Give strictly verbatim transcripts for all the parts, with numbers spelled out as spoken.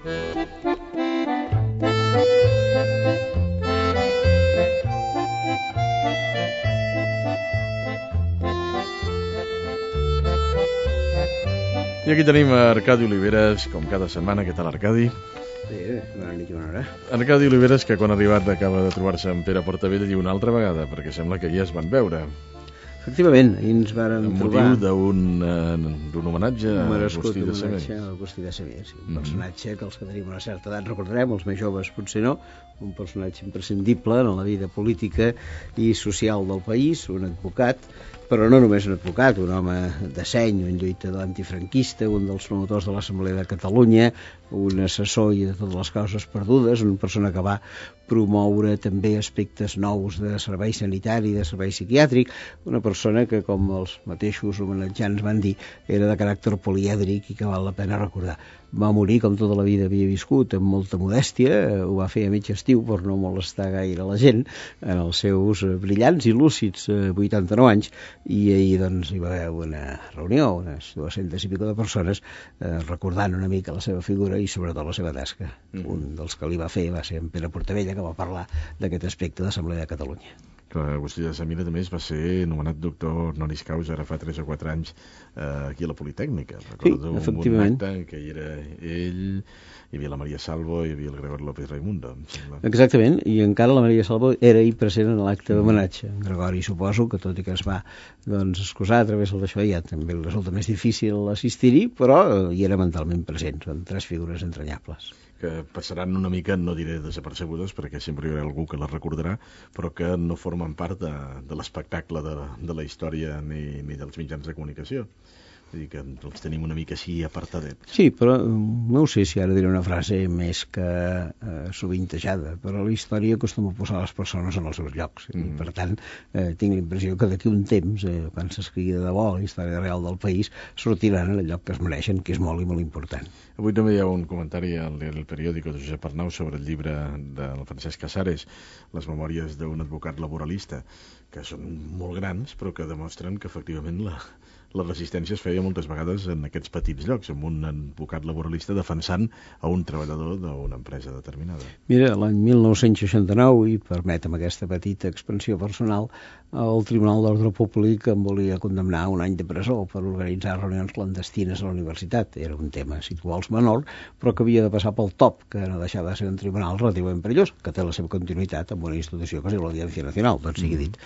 I aquí tenim Arcadi Oliveres, com cada setmana. Què tal, Arcadi? Bé, bona nit i bona hora. Arcadi Oliveres, que quan ha arribat acaba de trobar-se amb Pere Portavella i una altra vegada, perquè sembla que ja es van veure. Efectivament, ahir ens vàrem amb trobar... motiu d'un uh, homenatge a Agustí de Sever. a Agustí de Sever, sí. Un mm-hmm. personatge que els que tenim una certa edat recordarem, els més joves potser no, un personatge imprescindible en la vida política i social del país, un advocat, però no només un advocat, un home de seny, un lluitador antifranquista, un dels promotors de l'Assemblea de Catalunya, un assessor i de totes les causes perdudes, una persona que va promoure també aspectes nous de servei sanitari, de servei psiquiàtric, una persona que, com els mateixos homenatjants van dir, era de caràcter polièdric i que val la pena recordar. Va morir, com tota la vida havia viscut, amb molta modèstia, ho va fer a mig estiu per no molestar gaire la gent, en els seus brillants i lúcids vuitanta-nou anys, i ahir doncs hi va haver una reunió, unes dues-centes i pico de persones, eh, recordant una mica la seva figura i sobretot la seva tasca. Mm-hmm. Un dels que li va fer va ser en Pere Portavella, que va parlar d'aquest aspecte de l'Assemblea de Catalunya. Agustí de Sever també es va ser nomenat doctor honoris causa ara fa tres o quatre anys eh, aquí a la Politècnica. Recordo sí, efectivament. Un acte en què hi era ell, hi havia la Maria Salvo, hi havia el Gregori López Raimundo. Exactament, i encara la Maria Salvo era hi present en l'acte d'homenatge. En Gregori suposo que tot i que es va doncs, excusar a través d'això ja també resulta més difícil assistir-hi, però hi era mentalment present. Són tres figures entranyables. Que passaran una mica, no diré desapercebudes, perquè sempre hi haurà algú que les recordarà, però que no formen part de, de l'espectacle de, de la història ni, ni dels mitjans de comunicació. Vull dir que els tenim una mica així apartadets. Sí, però no ho sé si ara diré una frase més que eh, sovintejada, però la història acostuma a posar les persones en els seus llocs. Mm. I per tant, eh, tinc la impressió que d'aquí un temps, eh, quan s'escrigui de debò la història real del país, sortiran en el lloc que es mereixen, que és molt i molt important. Avui també hi ha un comentari al, al periòdic de Josep Arnau sobre el llibre del Francesc Casares, Les memòries d'un advocat laboralista, que són molt grans, però que demostren que efectivament la, la resistència es feia moltes vegades en aquests petits llocs, amb un advocat laboralista defensant a un treballador d'una empresa determinada. Mira, l'any mil nou-cents seixanta-nou, i permetem aquesta petita expansió personal, el Tribunal d'Ordre Públic em volia condemnar a un any de presó per organitzar reunions clandestines a la universitat. Era un tema, si tu vols, menor, però que havia de passar pel top, que no deixava de ser un tribunal relativament perillós, que té la seva continuïtat amb una institució que es diu l'Audiència Nacional, tot sigui dit.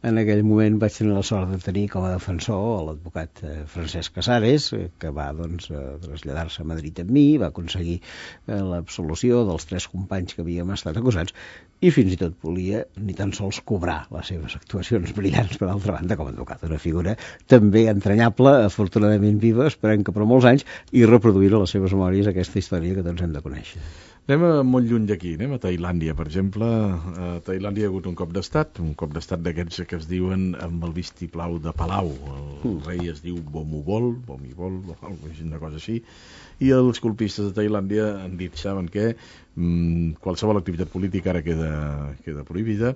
En aquell moment vaig tenir la sort de tenir com a defensor l'advocat Francesc Casares, que va doncs, traslladar-se a Madrid amb mi, va aconseguir l'absolució dels tres companys que havíem estat acusats, i fins i tot volia ni tan sols cobrar les seves actuacions brillants, per altra banda, com a advocat. Una figura també entranyable, afortunadament viva, esperem que per molts anys, i reproduir a les seves memòries aquesta història que tots hem de conèixer. Anem a molt lluny d'aquí, anem a Tailàndia, per exemple. A Tailàndia hi ha hagut un cop d'estat, un cop d'estat d'aquests que es diuen amb el vistiplau de Palau. El rei es diu Bomobol, Bomibol, una cosa així, i els colpistes de Tailàndia han dit, saben què, mm, qualsevol activitat política ara queda, queda prohibida.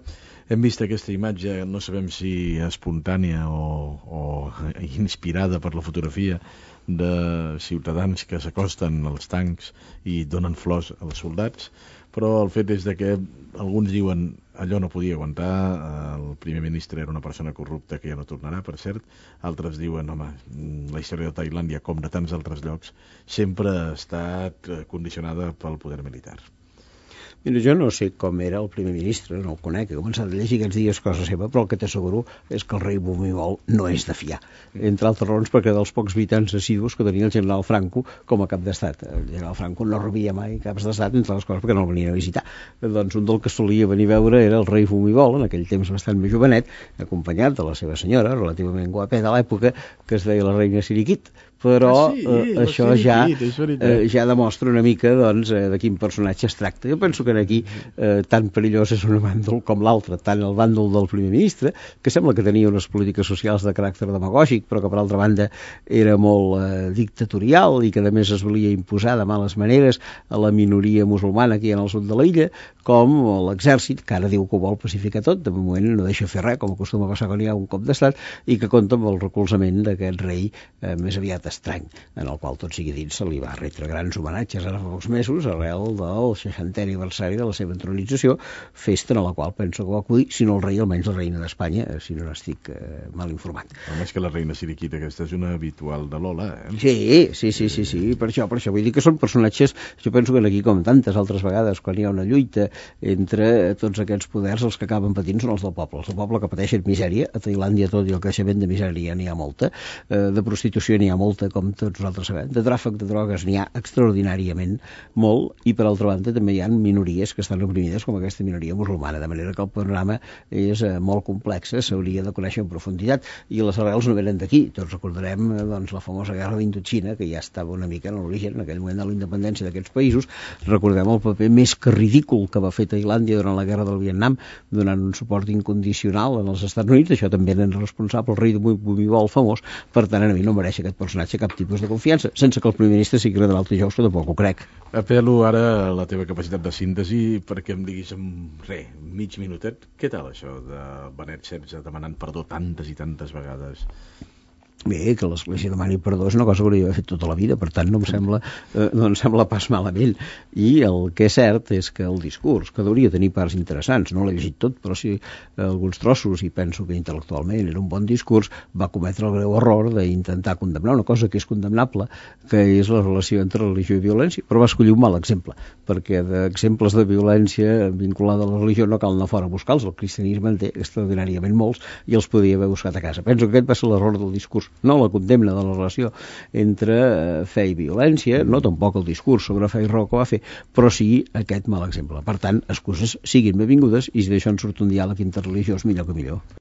Hem vist aquesta imatge, no sabem si espontània o, o inspirada per la fotografia, de ciutadans que s'acosten als tancs i donen flors als soldats, però el fet és de que alguns diuen allò no podia aguantar, el primer ministre era una persona corrupta que ja no tornarà, per cert, altres diuen, home, la història de Tailàndia, com de tants altres llocs, sempre ha estat condicionada pel poder militar. Mira, jo no sé com era el primer ministre, no el conec, he començat a llegir aquests dies cosa seva, però el que t'asseguro és que el rei Bumibol no és de fiar. Entre altres raons perquè dels pocs visitants assidus que tenia el general Franco com a cap d'estat. El general Franco no rebia mai caps d'estat, entre les coses perquè no el venien a visitar. Doncs un del que solia venir a veure era el rei Bumibol, en aquell temps bastant més jovenet, acompanyat de la seva senyora, relativament guapeta a l'època, que es deia la reina Siriquit. Però ah, sí, eh, això ja, eh, ja demostra una mica doncs, eh, de quin personatge es tracta. Jo penso que que aquí eh, tan perillós és un bàndol com l'altre, tant el bàndol del primer ministre, que sembla que tenia unes polítiques socials de caràcter demagògic, però que per altra banda era molt eh, dictatorial i que a més es volia imposar de males maneres a la minoria musulmana aquí en el sud de l'illa, com l'exèrcit, que ara diu que ho vol pacificar tot, de moment no deixa fer res, com acostuma a passar quan hi ha un cop d'estat, i que compta amb el recolzament d'aquest rei eh, més aviat estrany, en el qual tot sigui dit se li va retre grans homenatges ara fa pocs mesos arrel del seixantè aniversari de la seva entronització, festa en la qual penso que va acudir, si no el rei, almenys la reina d'Espanya, si no n'estic eh, mal informat. A més que la reina siriquita aquesta és una habitual de Lola, eh? Sí, sí, sí, sí, sí, per això, per això vull dir que són personatges, jo penso que aquí com tantes altres vegades, quan hi ha una lluita entre tots aquests poders, els que acaben patint són els del poble, els del poble que pateixen misèria, a Tailàndia tot i el creixement de misèria n'hi ha molta, eh, de prostitució n'hi ha molta, com tots nosaltres sabem, de tràfic de drogues n'hi ha extraordinàriament molt, i per altra banda també hi ha minories que estan oprimides com aquesta minoria musulmana, de manera que el panorama és eh, molt complex, s'hauria de conèixer en profunditat, i les arrels no venen d'aquí. Tots recordarem eh, doncs, la famosa guerra d'Indoxina, que ja estava una mica en l'origen, en aquell moment de la independència d'aquests països. Recordem el paper més que ridícul que va fer Tailàndia durant la guerra del Vietnam, donant un suport incondicional als Estats Units. Això també n'és responsable el rei de Bhumibol famós. Per tant, a mi no mereix aquest personatge cap tipus de confiança, sense que el primer ministre sigui General Tijous, que tampoc ho crec. Apel·lo ara a la teva capacitat de síntesi perquè em diguis en res, mig minutet, què tal això de Benet setze demanant perdó tantes i tantes vegades? Bé, que l'Església demani perdó és una cosa que hauria d'haver fet tota la vida, per tant no em sembla, eh, no em sembla pas malament. I el que és cert és que el discurs, que hauria tenir parts interessants, no l'he llegit tot, però sí alguns trossos, i penso que intel·lectualment era un bon discurs, va cometre el greu error d'intentar condemnar una cosa que és condemnable, que és la relació entre religió i violència, però va escollir un mal exemple, perquè d'exemples de violència vinculada a la religió no cal anar fora a buscar-los, el cristianisme en té extraordinàriament molts i els podia haver buscat a casa. Penso que aquest va ser l'error del discurs, no la condemna de la relació entre fe i violència, no tampoc el discurs sobre fe i raó que va fer, però sí aquest mal exemple. Per tant, excuses siguin benvingudes, i si d'això en surt un diàleg interreligiós, millor que millor.